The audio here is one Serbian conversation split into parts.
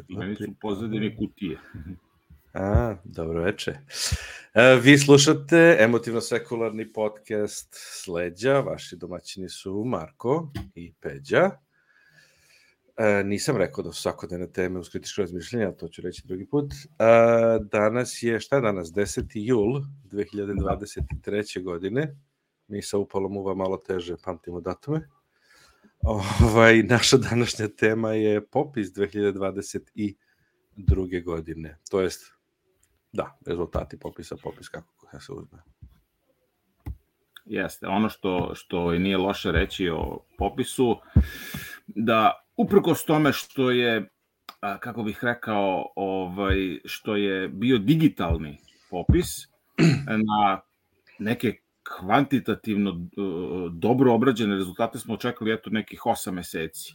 I meni su pozadine kutije. Dobro veče. Vi slušate emotivno-sekularni podcast Sleđa. Vaši domaćini su Marko i Peđa. Nisam rekao da su svakodnevne teme uz kritičko razmišljanje, ali to ću reći drugi put. Danas je, šta je danas? 10. jul 2023. godine. Mi sa upalom uva malo teže pamtimo datume. Naša današnja tema je popis 2022. godine. To jest, rezultati popis kako se uzme. Jeste, ono što nije loše reći o popisu, da uprkos tome što je, kako bih rekao, što je bio digitalni popis, na neke kvantitativno dobro obrađene rezultate smo očekali nekih 8 meseci.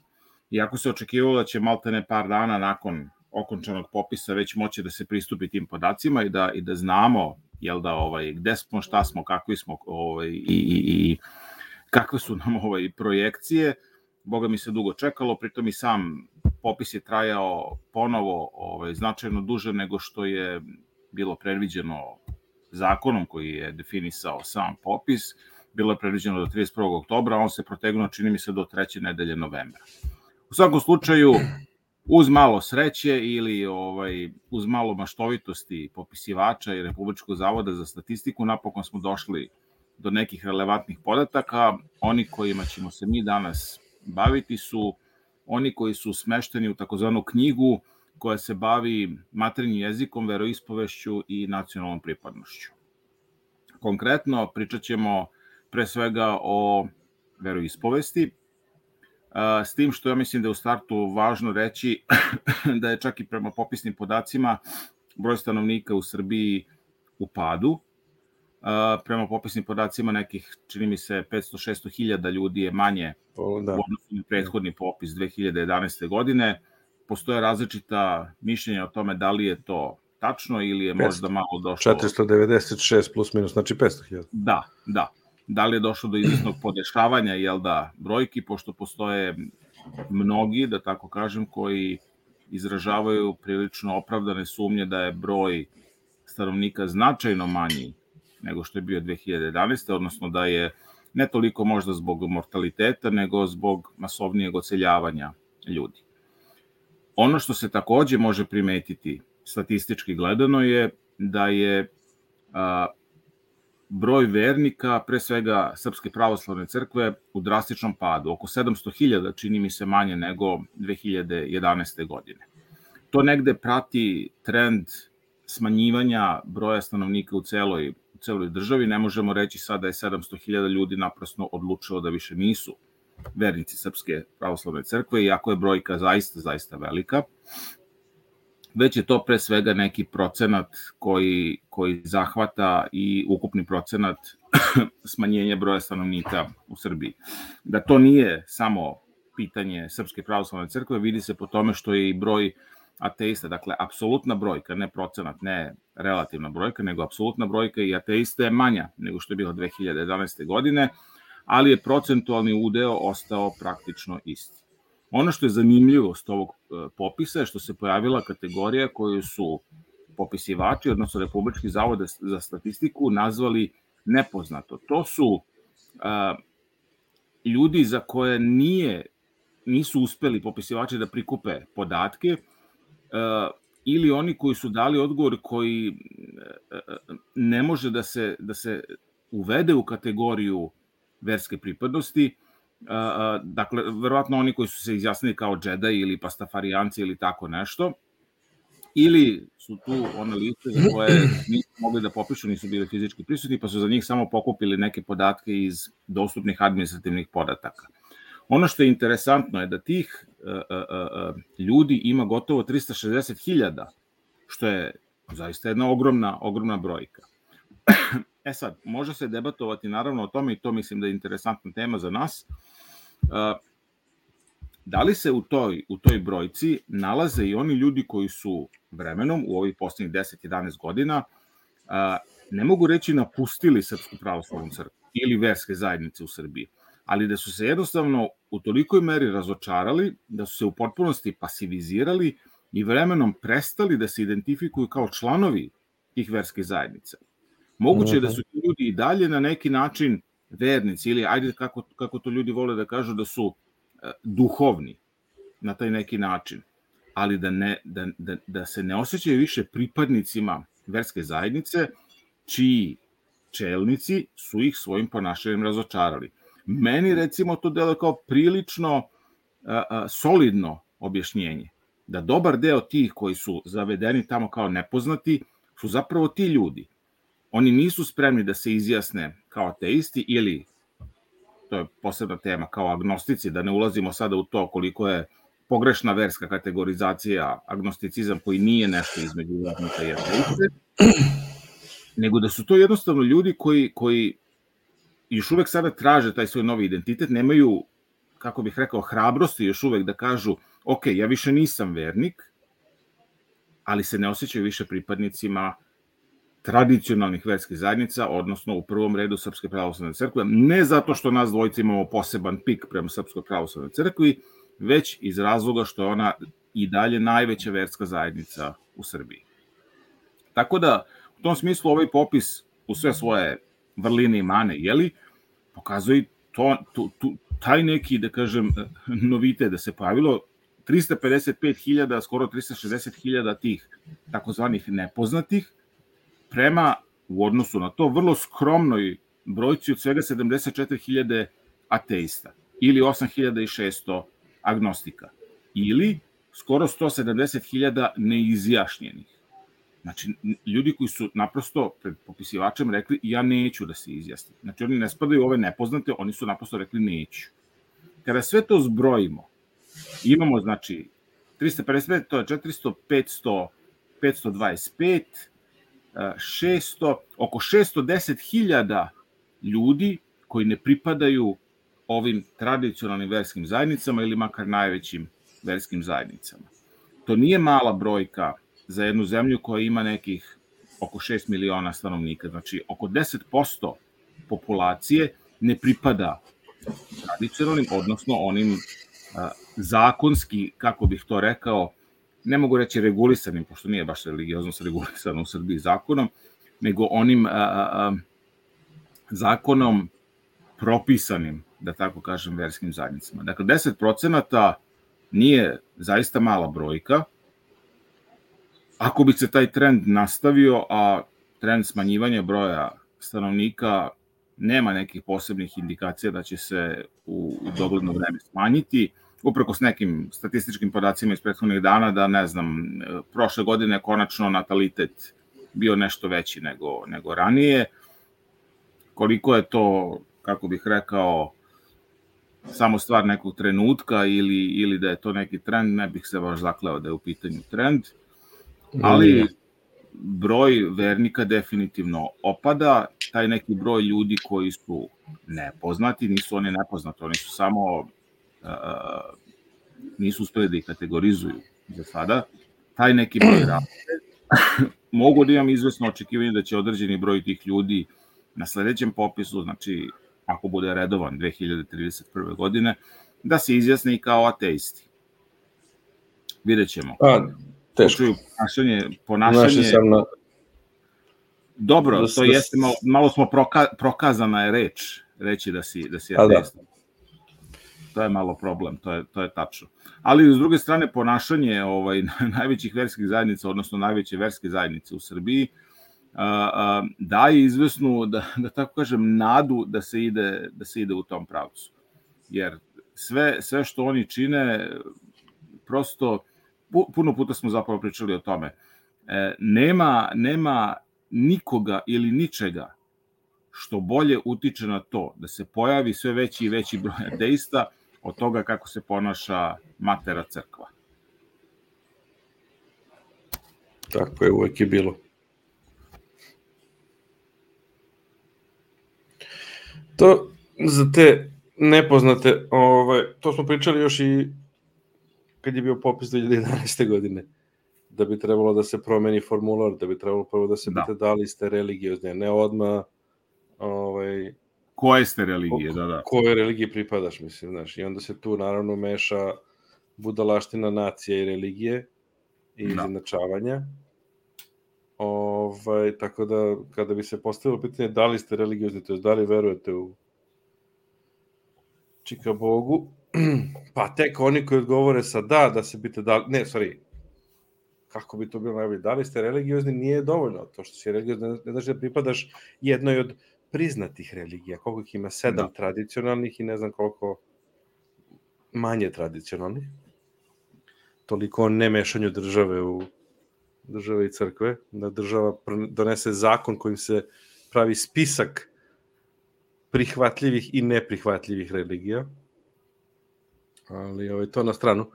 Iako se očekivalo da će maltene par dana nakon okončanog popisa već moći da se pristupi tim podacima i da znamo gde smo, šta smo, kakvi smo i kakve su nam projekcije. Boga mi se dugo čekalo, pritom i sam popis je trajao ponovo značajno duže nego što je bilo predviđeno zakonom koji je definisao sam popis. Bilo je predviđeno do 31. oktobra, on se protegnuo, čini mi se, do 3. nedelje novembra. U svakom slučaju, uz malo sreće ili uz malo maštovitosti popisivača i Republičkog zavoda za statistiku, napokon smo došli do nekih relevantnih podataka. Oni kojima ćemo se mi danas baviti su oni koji su smešteni u takozvanu knjigu koja se bavi maternjim jezikom, veroispovešću i nacionalnom pripadnošću. Konkretno, pričat ćemo pre svega o veroispovesti, s tim što ja mislim da je u startu važno reći da je čak i prema popisnim podacima broj stanovnika u Srbiji u padu. Prema popisnim podacima nekih, čini mi se, 500-600 hiljada ljudi je manje u odnosu na prethodni popis 2011. godine. Postoje različita mišljenja o tome da li je to tačno ili je možda malo došlo... 496 plus minus, znači 500 hiljada. Da. Da li je došlo do izvesnog podešavanja, brojki, pošto postoje mnogi, da tako kažem, koji izražavaju prilično opravdane sumnje da je broj stanovnika značajno manji nego što je bio 2011. Odnosno da je ne toliko možda zbog mortaliteta, nego zbog masovnijeg odseljavanja ljudi. Ono što se takođe može primetiti statistički gledano je da je broj vernika, pre svega Srpske pravoslavne crkve, u drastičnom padu. Oko 700.000, čini mi se, manje nego 2011. godine. To negde prati trend smanjivanja broja stanovnika u celoj državi. Ne možemo reći sad da je 700.000 ljudi naprasno odlučilo da više nisu vernici Srpske pravoslavne crkve, iako je brojka zaista velika. Već je to pre svega neki procenat koji zahvata i ukupni procenat smanjenja broja stanovnika u Srbiji. Da to nije samo pitanje Srpske pravoslavne crkve, vidi se po tome što je i broj ateista, dakle, apsolutna brojka, ne procenat, ne relativna brojka, nego apsolutna brojka i ateista je manja nego što je bila 2011. godine, ali je procentualni udeo ostao praktično isti. Ono što je zanimljivost ovog popisa je što se pojavila kategorija koju su popisivači, odnosno Republički zavod za statistiku, nazvali nepoznato. To su ljudi za koje nisu uspeli popisivači da prikupe podatke, ili oni koji su dali odgovor koji ne može da se uvede u kategoriju verske pripadnosti. Dakle, verovatno oni koji su se izjasnili kao džedaj ili pastafarijanci ili tako nešto, ili su tu one liste za koje nisu mogli da popišu, nisu bili fizički prisutni, pa su za njih samo pokupili neke podatke iz dostupnih administrativnih podataka. Ono što je interesantno je da tih ljudi ima gotovo 360.000, što je zaista jedna ogromna brojka. Sad, može se debatovati naravno o tome, i to mislim da je interesantna tema za nas, da li se u toj brojci nalaze i oni ljudi koji su vremenom, u ovih poslednjih 10-11 godina, ne mogu reći napustili Srpsku pravoslavnu crkvu ili verske zajednice u Srbiji, ali da su se jednostavno u tolikoj meri razočarali, da su se u potpunosti pasivizirali i vremenom prestali da se identifikuju kao članovi tih verskih zajednica. Moguće je da su ti ljudi i dalje na neki način vernici ili, ajde kako to ljudi vole da kažu, da su duhovni na taj neki način, ali da se ne osjećaju više pripadnicima verske zajednice, čiji čelnici su ih svojim ponašanjem razočarali. Meni, recimo, to deluje kao prilično solidno objašnjenje, da dobar deo tih koji su zavedeni tamo kao nepoznati su zapravo ti ljudi. Oni nisu spremni da se izjasne kao ateisti ili, to je posebna tema, kao agnostici, da ne ulazimo sada u to koliko je pogrešna verska kategorizacija agnosticizam koji nije nešto između vernika i ateiste, nego da su to jednostavno ljudi koji još uvek sada traže taj svoj novi identitet, nemaju, kako bih rekao, hrabrosti još uvek da kažu, ok, ja više nisam vernik, ali se ne osjećaju više pripadnicima tradicionalnih verskih zajednica, odnosno u prvom redu Srpske pravoslavne crkve, ne zato što nas dvojica imamo poseban pik prema Srpskoj pravoslavnoj crkvi, već iz razloga što je ona i dalje najveća verska zajednica u Srbiji. Tako da, u tom smislu, ovaj popis u sve svoje vrline i mane, pokazuje taj neki, da kažem, novitet da se pojavilo 355.000, skoro 360.000 tih takozvanih nepoznatih, prema, u odnosu na to, vrlo skromnoj brojci od svega 74.000 ateista ili 8.600 agnostika ili skoro 170.000 neizjašnjenih. Znači, ljudi koji su naprosto pred popisivačem rekli ja neću da se izjasnim. Znači, oni ne spadaju u ove nepoznate, oni su naprosto rekli neću. Kada sve to zbrojimo, imamo, znači, 355, to je 400, 500, 525, 600, oko 610.000 ljudi koji ne pripadaju ovim tradicionalnim verskim zajednicama ili makar najvećim verskim zajednicama. To nije mala brojka za jednu zemlju koja ima nekih oko 6 miliona stanovnika. Znači, oko 10% populacije ne pripada tradicionalnim, odnosno onim zakonski, kako bih to rekao, ne mogu reći regulisanim, pošto nije baš religioznost regulisano u Srbiji zakonom, nego onim zakonom propisanim, da tako kažem, verskim zajednicama. Dakle, 10% nije zaista mala brojka. Ako bi se taj trend nastavio, a trend smanjivanja broja stanovnika nema nekih posebnih indikacija da će se u dogledno vreme smanjiti, uprkos nekim statističkim podacima iz prethodnih dana, da ne znam, prošle godine konačno natalitet bio nešto veći nego ranije. Koliko je to, kako bih rekao, samo stvar nekog trenutka ili da je to neki trend, ne bih se baš zakleo da je u pitanju trend, ali broj vernika definitivno opada. Taj neki broj ljudi koji su nepoznati, nisu oni nepoznati, oni su samo nisu uspeli da ih kategorizuju za sada, taj neki broj raste. Mogu da imam izvesno očekivanje da će određeni broj tih ljudi na sledećem popisu, znači ako bude redovan 2031. godine, da se izjasne i kao ateisti. Vidjet ćemo. Teško. Ponašanje... Dobro, to jeste, malo smo prokazana je reći da si ateista. To je malo problem, to je tačno. Ali, s druge strane, ponašanje najvećih verskih zajednica, odnosno najveće verske zajednice u Srbiji, daje izvesnu, da tako kažem, nadu da se ide u tom pravcu. Jer sve što oni čine, prosto, puno puta smo zapravo pričali o tome, nema nikoga ili ničega što bolje utiče na to da se pojavi sve veći i veći broj ateista od toga kako se ponaša matera crkva. Tako je, uvek je bilo. To za te nepoznate, to smo pričali još i kad je bio popis 2011. godine, da bi trebalo da se promeni formular, da bi trebalo prvo da se pita da li ste religiozne, ne odmah koje ste religije, da. Koje religije pripadaš, mislim, znaš, i onda se tu naravno meša budalaština nacija i religije, i izjednačavanja. Tako da, kada bi se postavilo pitanje da li ste religiozni, to je da li verujete u čika Bogu, pa tek oni koji odgovore sa da se bite kako bi to bilo najbolje, da li ste religiozni nije dovoljno, to što si religiozni ne znači da pripadaš jednoj od priznatih religija, koliko ih ima 7 tradicionalnih i ne znam koliko manje tradicionalnih, toliko o nemešanju države i crkve, da država donese zakon kojim se pravi spisak prihvatljivih i neprihvatljivih religija, ali to na stranu.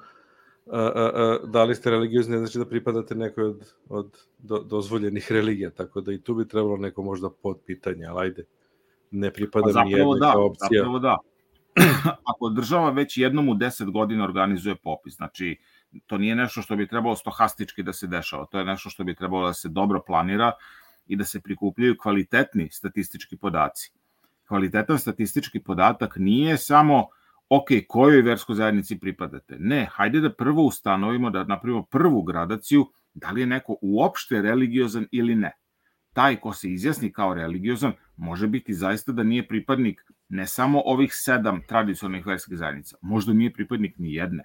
Da li ste religiozni ne znači da pripadate nekoj od dozvoljenih religija, tako da i tu bi trebalo neko možda podpitanje, ali ajde, ne pripada mi jedna opcija. Zapravo da. Ako država već jednom u 10 godina organizuje popis, znači to nije nešto što bi trebalo stohastički da se dešava, to je nešto što bi trebalo da se dobro planira i da se prikupljaju kvalitetni statistički podaci. Kvalitetan statistički podatak nije samo kojoj verskoj zajednici pripadate. Ne, hajde da prvo ustanovimo, da napravimo prvu gradaciju, da li je neko uopšte religiozan ili ne. Taj ko se izjasni kao religiozan može biti zaista da nije pripadnik ne samo ovih 7 tradicionalnih verskih zajednica, možda nije pripadnik ni jedne.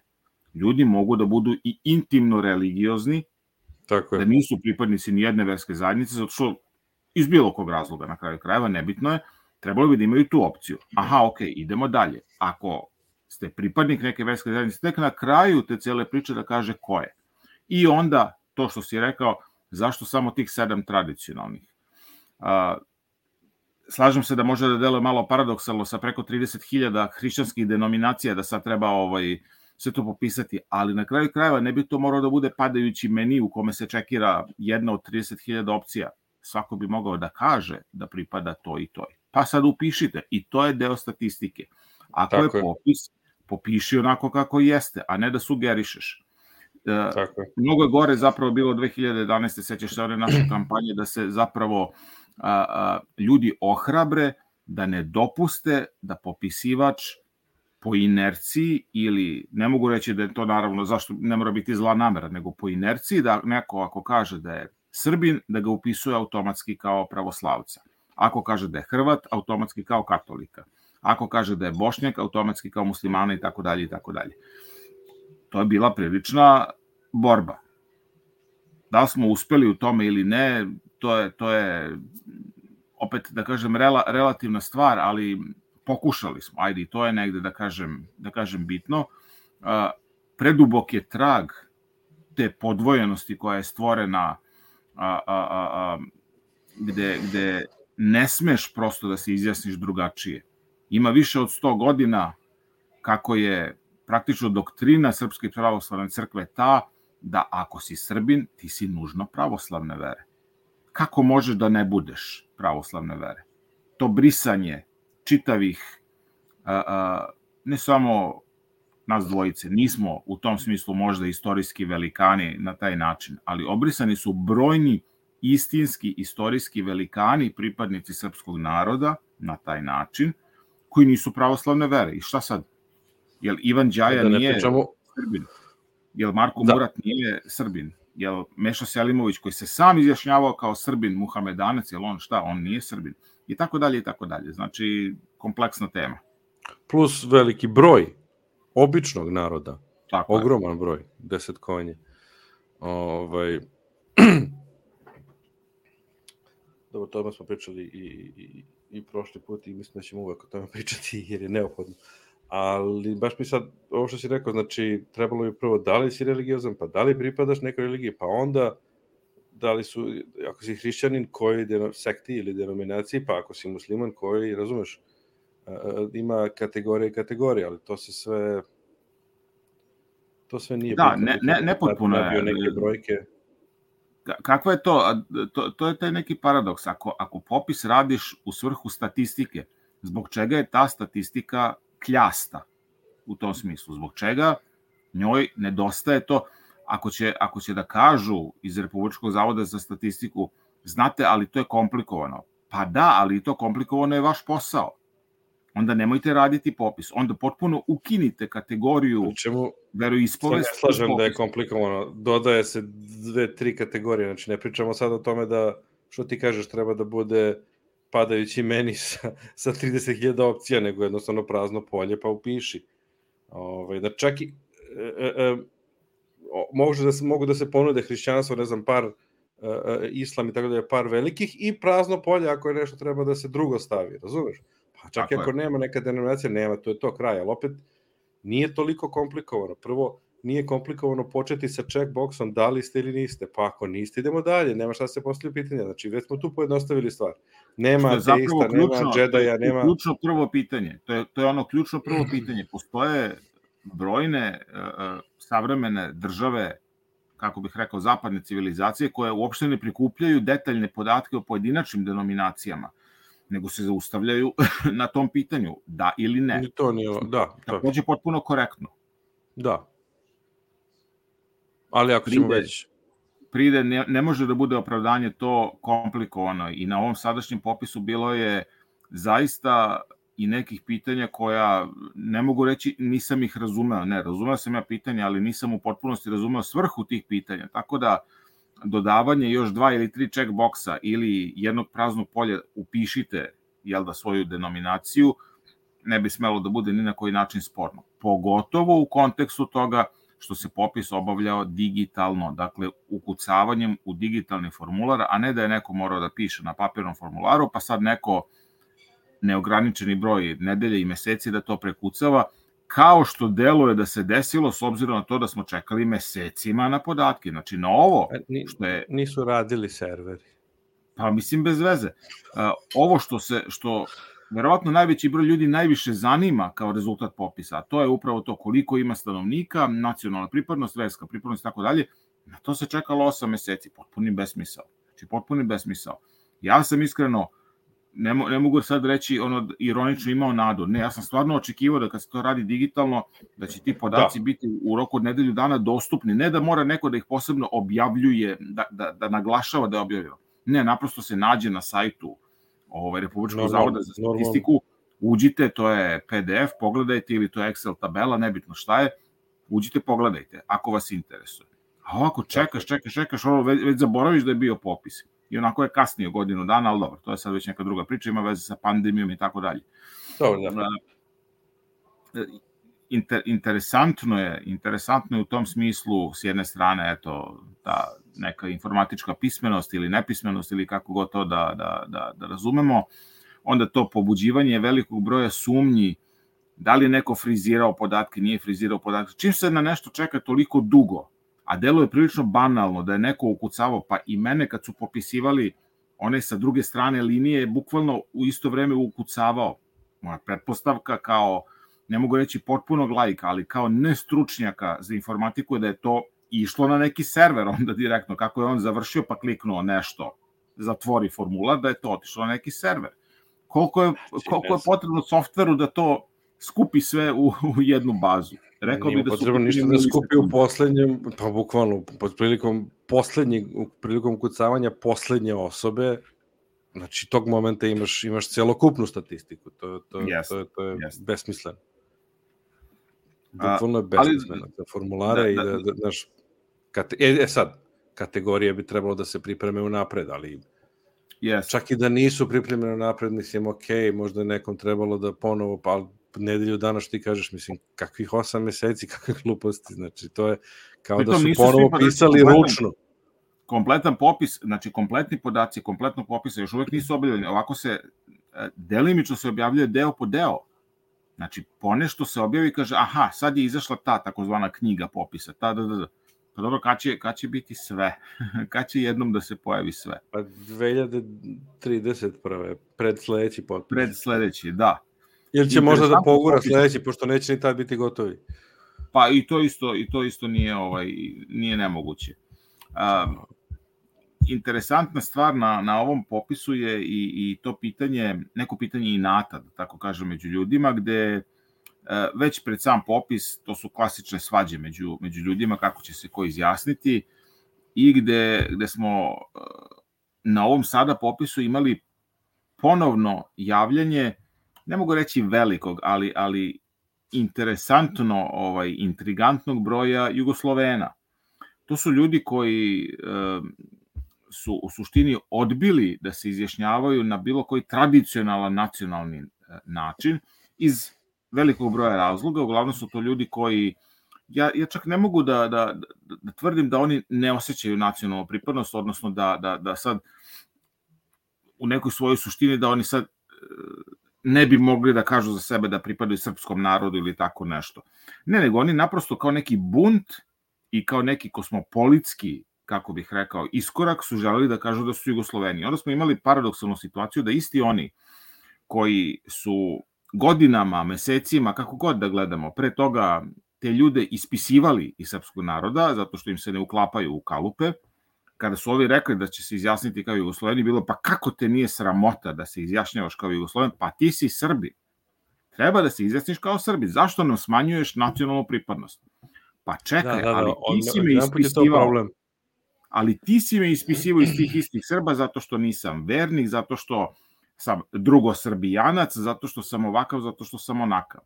Ljudi mogu da budu i intimno religiozni, da nisu pripadnici ni jedne verske zajednice, zato što iz bilo kog razloga, na kraju krajeva, nebitno je, trebalo bi da imaju tu opciju. Idemo dalje. Ako ste pripadnik neke verske zajednice, tek na kraju te cele priče da kaže ko je. I onda, to što si rekao, zašto samo tih 7 tradicionalnih? Slažem se da može da deluje malo paradoksalno sa preko 30.000 hrišćanskih denominacija da sad treba sve to popisati, ali na kraju krajeva ne bi to morao da bude padajući meni u kome se čekira jedna od 30.000 opcija. Svako bi mogao da kaže da pripada to i to. Pa sad upišite i to je deo statistike. Ako je popis, popiši onako kako jeste, a ne da sugerišeš. Mnogo je gore zapravo bilo 2011. sećaš se one naše kampanje da se zapravo ljudi ohrabre da ne dopuste da popisivač po inerciji ili, ne mogu reći da je to naravno, zašto ne mora biti zla namera, nego po inerciji da neko ako kaže da je Srbin, da ga upisuje automatski kao pravoslavca. Ako kaže da je Hrvat, automatski kao katolika. Ako kaže da je Bošnjak, automatski kao muslimana i tako dalje i tako dalje. To je bila prilična borba. Da li smo uspeli u tome ili ne, to je opet, da kažem, relativna stvar, ali pokušali smo. Ajde, i to je negde, da kažem, bitno. Predubok je trag te podvojenosti koja je stvorena gde ne smeš prosto da se izjasniš drugačije. Ima više od 100 godina kako je praktično doktrina Srpske pravoslavne crkve ta da ako si Srbin, ti si nužno pravoslavne vere. Kako možeš da ne budeš pravoslavne vere? To brisanje čitavih, ne samo nas dvojice, nismo u tom smislu možda istorijski velikani na taj način, ali obrisani su brojni istinski istorijski velikani, pripadnici srpskog naroda na taj način, koji nisu pravoslavne vere. I šta sad? Jel Ivan Đaja nije Srbin? Jel Marko Murat nije Srbin? Jel Meša Selimović, koji se sam izjašnjavao kao Srbin, Muhamedanac, jel on šta? On nije Srbin. I tako dalje, i tako dalje. Znači, kompleksna tema. Plus veliki broj običnog naroda. Ogroman broj. 10 konje. Dobro, tome smo pričali i prošli put i mislim da ćemo uvek o tome pričati jer je neophodno. Ali baš mi sad, ovo što si rekao, znači trebalo bi prvo da li si religiozan, pa da li pripadaš nekoj religiji, pa onda da li su, ako si hrišćanin, koji sekti ili denominaciji, pa ako si musliman, koji, razumeš, ima kategorije, ali to se sve nije bitno. Da, nepotpuno je. Neke brojke. Kako je to? To je taj neki paradoks. Ako popis radiš u svrhu statistike, zbog čega je ta statistika kljasta u tom smislu? Zbog čega njoj nedostaje to? Ako će da kažu iz Republičkog zavoda za statistiku, znate, ali to je komplikovano. Pa da, ali to komplikovano je vaš posao. Onda nemojte raditi popis. Onda potpuno ukinite kategoriju veroispovesti. Slažem da je komplikovano. Dodaje se 2-3 kategorije, znači ne pričamo sad o tome da, što ti kažeš, treba da bude padajući meni sa 30.000 opcija, nego jednostavno prazno polje, pa upiši. Da čak i mogu da se ponude hrišćanstvo, ne znam, par islam i tako da je par velikih i prazno polje ako je nešto treba da se drugo stavi, razumeš? Pa čak i ako nema neka denominacija, nema, to je to kraj, ali opet nije toliko komplikovano. Prvo, nije komplikovano početi sa checkboxom da li ste ili niste, pa ako niste, idemo dalje, nema šta se postavlja pitanja, znači već smo tu pojednostavili stvar. Nema ateista, nema džedaja, nema... To je ključno prvo pitanje, to je ono ključno prvo pitanje. Postoje brojne savremene države, kako bih rekao, zapadne civilizacije, koje uopšte ne prikupljaju detaljne podatke o pojedinačnim denominacijama, nego se zaustavljaju na tom pitanju, da ili ne. To nije, da. Takođe potpuno korektno. Da. Ali ako ćemo već... Pride ne može da bude opravdanje to komplikovano i na ovom sadašnjem popisu bilo je zaista i nekih pitanja koja, ne mogu reći, nisam ih razumeo. Ne, razumeo sam ja pitanja, ali nisam u potpunosti razumeo svrhu tih pitanja. Tako da, dodavanje još 2 ili 3 checkboxa ili jednog praznog polja upišite, svoju denominaciju, ne bi smelo da bude ni na koji način sporno. Pogotovo u kontekstu toga što se popis obavljao digitalno, dakle ukucavanjem u digitalni formular, a ne da je neko morao da piše na papirnom formularu, pa sad neko neograničeni broj nedelje i meseci da to prekucava, kao što deluje da se desilo s obzirom na to da smo čekali mesecima na podatke. Znači, na ovo što je... Nisu radili serveri. Pa mislim bez veze. Ovo što verovatno najveći broj ljudi najviše zanima kao rezultat popisa, a to je upravo to koliko ima stanovnika, nacionalna pripadnost, verska pripadnost i tako dalje, na to se čekalo 8 meseci, potpuni besmisao. Znači, potpuni besmisao. Ja sam iskreno, ne mogu sad reći ironično imao nadu. Ne, ja sam stvarno očekivao da kad se to radi digitalno, da će ti podaci biti u roku od nedelju dana dostupni. Ne da mora neko da ih posebno objavljuje, da naglašava da je objavljeno. Ne, naprosto se nađe na sajtu Republičkog zavoda za statistiku, uđite, to je PDF, pogledajte, ili to je Excel tabela, nebitno šta je, uđite, pogledajte, ako vas interesuje. A ovako čekaš, već zaboraviš da je bio popis. I onako je kasnije godinu dana, ali dobro, to je sad već neka druga priča, ima veze sa pandemijom i tako dalje. Interesantno je u tom smislu, s jedne strane, eto, ta neka informatička pismenost ili nepismenost ili kako god to da razumemo, onda to pobuđivanje velikog broja sumnji, da li je neko frizirao podatke, nije frizirao podatke. Čim se na nešto čeka toliko dugo, a deluje prilično banalno da je neko ukucavao, pa i mene kad su popisivali one sa druge strane linije, bukvalno u isto vreme ukucavao. Moja pretpostavka kao, ne mogu reći potpunog laika, ali kao nestručnjaka za informatiku, da je to išlo na neki server onda direktno, kako je on završio pa kliknuo nešto, zatvori formular, da je to otišlo na neki server. Koliko je potrebno softveru da to skupi sve u jednu bazu? Rekao bi da su potrebno ništa da skupi u poslednjem, pa bukvalno, prilikom kucavanja poslednje osobe, znači tog momenta imaš celokupnu statistiku, to je besmisleno. Bukvalno je besmisleno, da formulare i da, znaš, sad, kategorije bi trebalo da se pripreme unapred, ali čak i da nisu pripremene unapred, mislim, možda je nekom trebalo da ponovo, pa nedelju dana što ti kažeš, mislim, kakvih 8 meseci, kakve gluposti, znači, to je kao da su ponovo pisali ručno. Kompletan popis, znači, kompletni podaci, kompletnog popisa još uvek nisu objavljeni, ovako se, delimično se objavljuje deo po deo. Znači, ponešto se objavi i kaže, aha, sad je izašla ta takozvana knjiga popisa, Pa dobro, kad će biti sve? Kad će jednom da se pojavi sve? Pa 2031. Pred sledeći popis. Pred sledeći, da. Ili će možda da pogura sledeći, pošto neće ni tad biti gotovi. Pa i to isto nije nemoguće. Interesantna stvar na ovom popisu je i to pitanje, neko pitanje inata, da tako kažem, među ljudima, gde već pred sam popis, to su klasične svađe među ljudima, kako će se ko izjasniti, i gde smo na ovom sada popisu imali ponovno javljanje, ne mogu reći velikog, ali interesantno, intrigantnog broja Jugoslovena. To su ljudi koji su u suštini odbili da se izjašnjavaju na bilo koji tradicionalan nacionalni način iz velikog broja razloga. Uglavnom su to ljudi koji, ja čak ne mogu da tvrdim da oni ne osjećaju nacionalnu pripadnost, odnosno da sad u nekoj svojoj suštini da oni sad ne bi mogli da kažu za sebe da pripadaju srpskom narodu ili tako nešto. Ne, nego oni naprosto kao neki bunt i kao neki kosmopolitski, kako bih rekao, iskorak su želeli da kažu da su Jugosloveni. Onda smo imali paradoksalnu situaciju da isti oni koji su godinama, mesecima, kako god da gledamo, pre toga te ljude ispisivali iz srpskog naroda, zato što im se ne uklapaju u kalupe, kada su ovi rekli da će se izjasniti kao Jugosloveni, bilo pa kako te nije sramota da se izjašnjavaš kao Jugosloven, pa ti si Srbi. Treba da se izjasniš kao Srbi. Zašto nam smanjuješ nacionalnu pripadnost? Pa čekaj, ali ti si me ispisivao. Ali ti si me ispisivao iz tih istih Srba zato što nisam vernik, zato što sam drugosrbijanac, zato što sam ovakav, zato što sam onakav.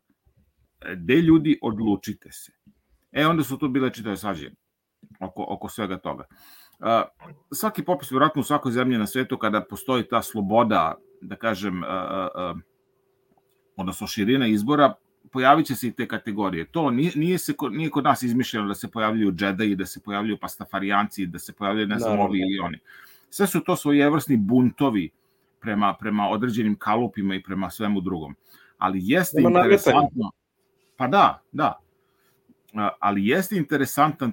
De ljudi, odlučite se. Onda su tu bile čitave svađe oko svega toga. Svaki popis, vjerojatno u svakoj zemlji na svetu, kada postoji ta sloboda, da kažem, odnosno širina izbora, pojavit će se i te kategorije. To nije kod nas izmišljeno da se pojavljuju džedaji, da se pojavljuju pastafarijanci, da se pojavljuju ne znam ovi ili oni. Sve su to svojevrsni buntovi prema određenim kalupima i prema svemu drugom. Ali jeste interesantno... Pa da. Ali jeste interesantan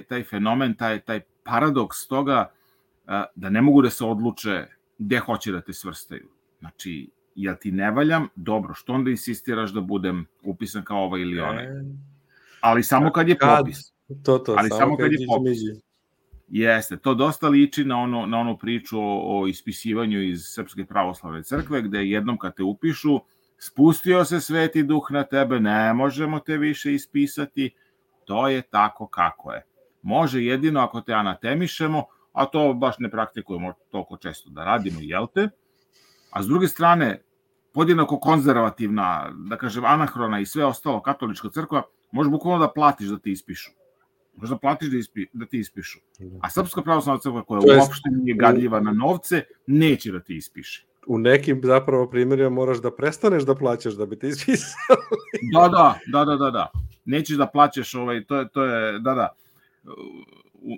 taj fenomen, taj paradoks toga da ne mogu da se odluče gde hoće da te svrstaju. Znači, jel ti ne valjam? Dobro, što onda insistiraš da budem upisan kao ovaj ili onaj? Ali samo kad je popis. Ali samo kad je popis. Jeste, to dosta liči na onu priču o ispisivanju iz Srpske pravoslavne crkve, gde jednom kad te upišu, spustio se Sveti Duh na tebe, ne možemo te više ispisati, to je tako kako je. Može jedino ako te anatemišemo, a to baš ne praktikujemo toliko često da radimo, jel te? A s druge strane, podjednako konzervativna, da kažem, anahrona i sve ostalo katolička crkva, može bukvalno da platiš da ti ispišu. Možda platiš da ti ispišu. A Srpska pravoslavna crkva, koja uopšte nije gadljiva na novce, neće da ti ispiše. U nekim zapravo primjerima moraš da prestaneš da plaćaš da bi te ispisali. Da. Nećeš da plaćaš, to je,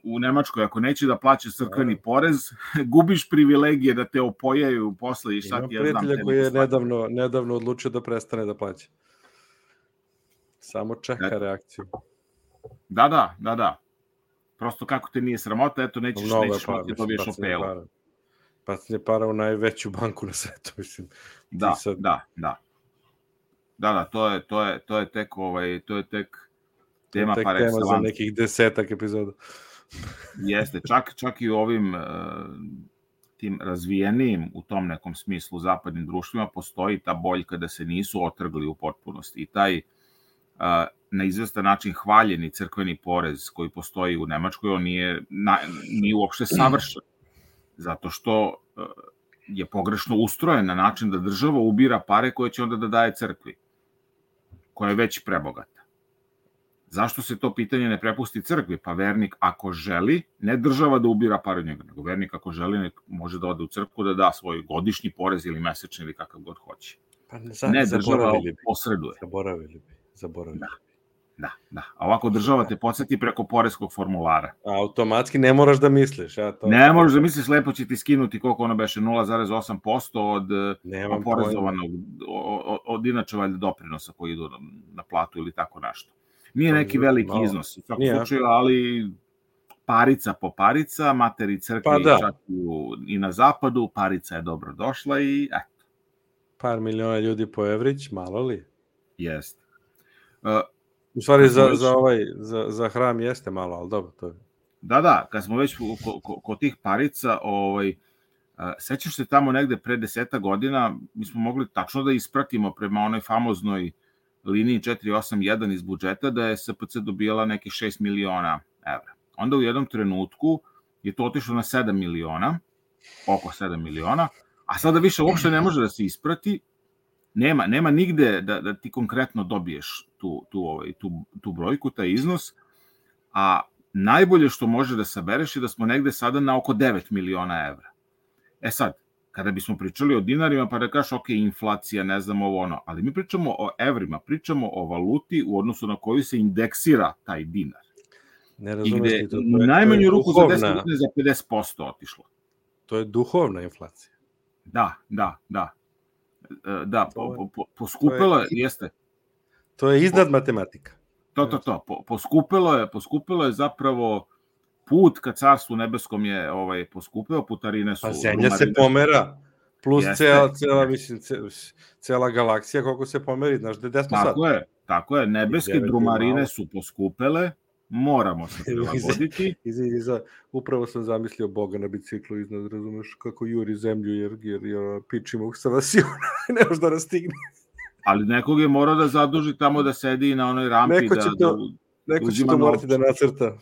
u Nemačkoj, ako neće da plaćaš crkveni porez, gubiš privilegije da te opojaju posle i šta ti ja znam. Ima prijatelja koji je nedavno odlučio da prestane da plaća. Samo čeka reakciju. Da. Prosto kako te nije sramota, eto nećeš moći dobiješ opelu. Bacanje para u najveću banku na svetu, mislim. Da. To je tek tema par excellence. Tema za nekih 10 epizoda. Jeste, čak i u ovim tim razvijenijim u tom nekom smislu zapadnim društvima postoji ta boljka da se nisu otrgli u potpunosti i taj na izvestan način hvaljeni crkveni porez koji postoji u Nemačkoj, on nije uopšte savršen, zato što je pogrešno ustrojen na način da država ubira pare koje će onda da daje crkvi, koja je već prebogata. Zašto se to pitanje ne prepusti crkvi? Pa vernik ako želi, ne država da ubira pare od njega, nego vernik ako želi može da ode u crkvu da da svoj godišnji porez ili mesečni ili kakav god hoće. Ne, država posreduje. Zaboravili. Da. A ovako država te podsjeti preko poreskog formulara. Automatski ne moraš da misliš. Ne moraš da misliš, lepo će ti skinuti koliko ono beše, 0,8% od oporezovanog, od inače valjda doprinosa koji idu na platu ili tako nešto. Nije neki veliki iznos u svakom slučaju, ali parica po parica, materi crkvi čak i na zapadu, parica je dobro došla i eto. Par miliona ljudi po evrić, malo li? Jeste. U stvari za hram jeste malo, ali dobro, to je. Da, kad smo već kod tih parica, sećaš se tamo negde pre 10 godina, mi smo mogli tačno da ispratimo prema onoj famoznoj liniji 481 iz budžeta da je SPC dobijala neki 6 miliona evra. Onda u jednom trenutku je to otišlo na 7 miliona, oko 7 miliona, a sada više uopšte ne može da se isprati, nema nigde da ti konkretno dobiješ tu brojku, taj iznos, a najbolje što može da sabereš je da smo negde sada na oko 9 miliona evra. E sad, kada bismo pričali o dinarima, pa da kažeš, ok, inflacija, ne znam ovo ono, ali mi pričamo o evrima, pričamo o valuti u odnosu na koju se indeksira taj dinar. Ne I razumeš gde li to? najmanju ruku za 10 godina za 50% otišlo. To je duhovna inflacija. Da, poskupilo je, jeste. To je iznad matematika. Poskupilo je zapravo put ka Carstvu nebeskom je poskupeo, putarine su... Pa zemlja se pomera, plus cela galaksija koliko se pomeri, znaš gde smo sad? Tako je, nebeske drumarine su poskupele, moramo se prilagoditi. Upravo sam zamislio Boga na biciklu iznad, razumeš, kako juri zemlju, jer pičimo sa vasiona, ne može da nas stigne. Ali nekog je morao da zaduži tamo da sedi na onoj rampi. Neko će to morati da nacrta.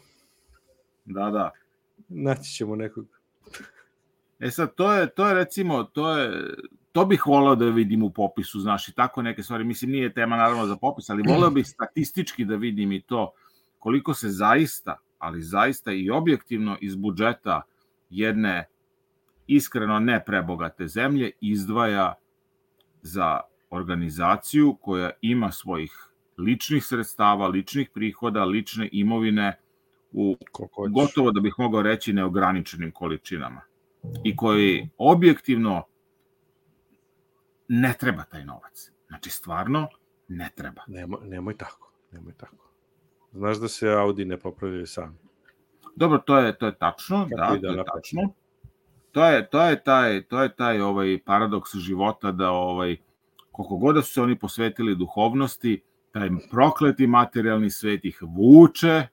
Da. Naći ćemo nekog. E sad, to je recimo, to bih voleo da vidim u popisu, znaš, i tako neke stvari. Mislim, nije tema naravno za popis, ali voleo bih statistički da vidim i to koliko se zaista i objektivno iz budžeta jedne iskreno ne prebogate zemlje izdvaja za organizaciju koja ima svojih ličnih sredstava, ličnih prihoda, lične imovine u gotovo da bih mogao reći neograničenim količinama i koji objektivno ne treba taj novac. Znači, stvarno ne treba. Nemoj tako. Znaš da se Audi ne popravljaju sami. Dobro, to je tačno, to je tačno. To je taj paradoks života da koliko god da su se oni posvetili duhovnosti, taj prokleti materijalni svet ih vuče,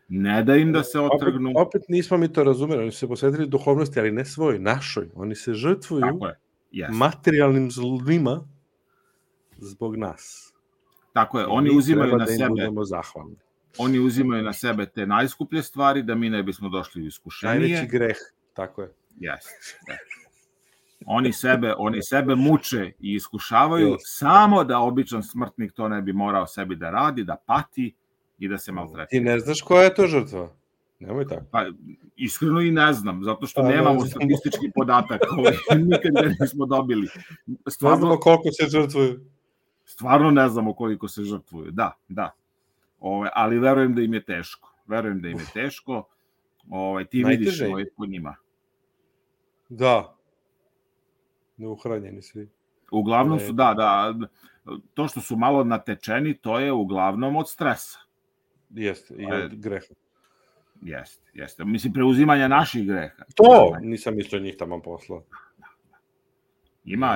ne da im da se otrgnu. Opet nismo mi to razumeli, oni su se posvetili duhovnosti, ali ne svoj, našoj. Oni se žrtvuju materijalnim zlima zbog nas. Tako je, oni uzimaju na sebe te najskuplje stvari da mi ne bismo došli u iskušenje. Najveći greh, tako je. Jeste. Oni sebe muče i iskušavaju samo da običan smrtnik to ne bi morao sebi da radi, da pati i da se maltretira. Ti ne znaš koja je to žrtva? Nemoj tako. Pa, iskreno i ne znam, zato što nemamo statistički podatak nikad ga nismo dobili. Ne znamo koliko se žrtvuju. Stvarno ne znamo koliko se žrtvuju, da. Ali verujem da im je teško. Ti vidiš po njima. Da. Neuhranjeni svi. Uglavnom su, da. To što su malo natečeni, to je uglavnom od stresa. Jeste, i od greha. Jeste. Mislim, preuzimanja naših greha. To nisam mislio njih tamo poslao.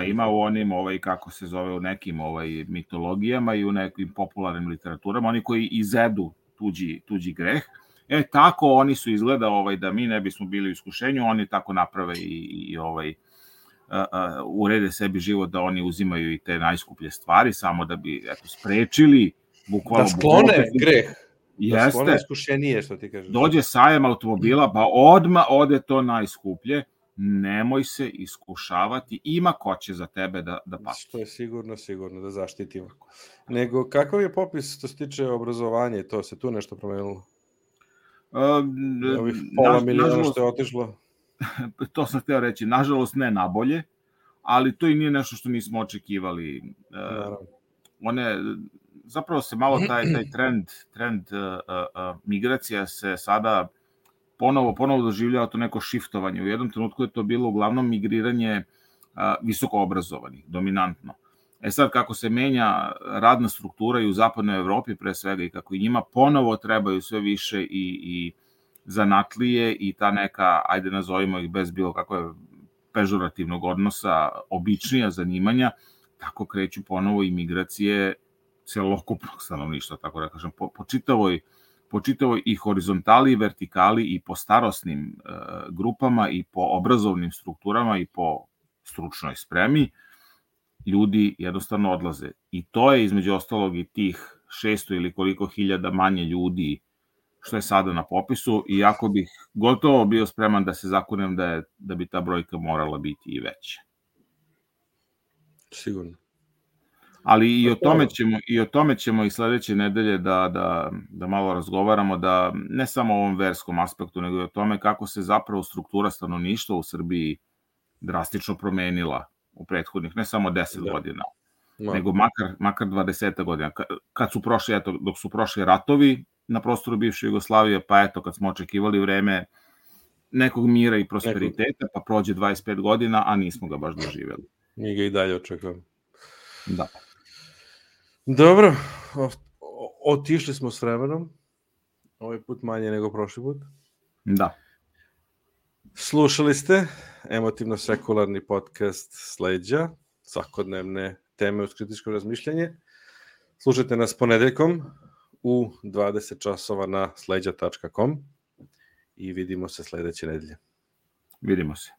Ima u onim, kako se zove, u nekim mitologijama i u nekim popularnim literaturama, oni koji izedu tuđi greh. Tako oni su izgleda da mi ne bismo bili u iskušenju, oni tako naprave i urede sebi život da oni uzimaju i te najskuplje stvari, samo da bi sprečili bukvalno... Da sklone greh. Jeste. Da sklone iskušenije, što ti kažeš. Dođe sajem automobila, pa odmah ode to najskuplje. Nemoj se iskušavati, ima ko će za tebe da pati. Što je sigurno da zaštitimo. Nego, kakav je popis što se tiče obrazovanja, to se tu nešto promenilo? Ovih pola miliona što je otišlo? To sam hteo reći, nažalost ne nabolje, ali to i nije nešto što nismo očekivali. Zapravo se malo taj trend migracija se sada ponovo doživljava to neko šiftovanje. U jednom trenutku je to bilo uglavnom migriranje visoko obrazovanih, dominantno. Sad, kako se menja radna struktura i u zapadnoj Evropi pre svega i kako i njima ponovo trebaju sve više i zanatlije i ta neka, ajde nazovimo ih bez bilo kakve pežorativnog odnosa, običnija zanimanja, tako kreću ponovo i migracije celokupnog stanovništva, tako da kažem, po čitavoj i horizontali, i vertikali, i po starosnim grupama, i po obrazovnim strukturama, i po stručnoj spremi, ljudi jednostavno odlaze. I to je između ostalog i tih 600 ili koliko hiljada manje ljudi što je sada na popisu, iako bih gotovo bio spreman da se zakunem da bi ta brojka morala biti i veća. Sigurno. Ali i o tome ćemo i sledeće nedelje da malo razgovaramo, da ne samo o ovom verskom aspektu, nego i o tome kako se zapravo struktura stanovništva u Srbiji drastično promenila u prethodnih, ne samo 10 godina, nego makar 20 godina. Dok su prošli ratovi na prostoru bivše Jugoslavije, pa eto, kad smo očekivali vreme nekog mira i prosperiteta, pa prođe 25 godina, a nismo ga baš doživjeli. Mi ga i dalje očekujemo. Da. Dobro, otišli smo s vremenom, ovaj put manje nego prošli put. Da. Slušali ste emotivno-sekularni podcast Sleđa, svakodnevne teme uz kritičko razmišljanje. Slušajte nas ponedeljkom u 20 časova na sleđa.com i vidimo se sledeće nedelje. Vidimo se.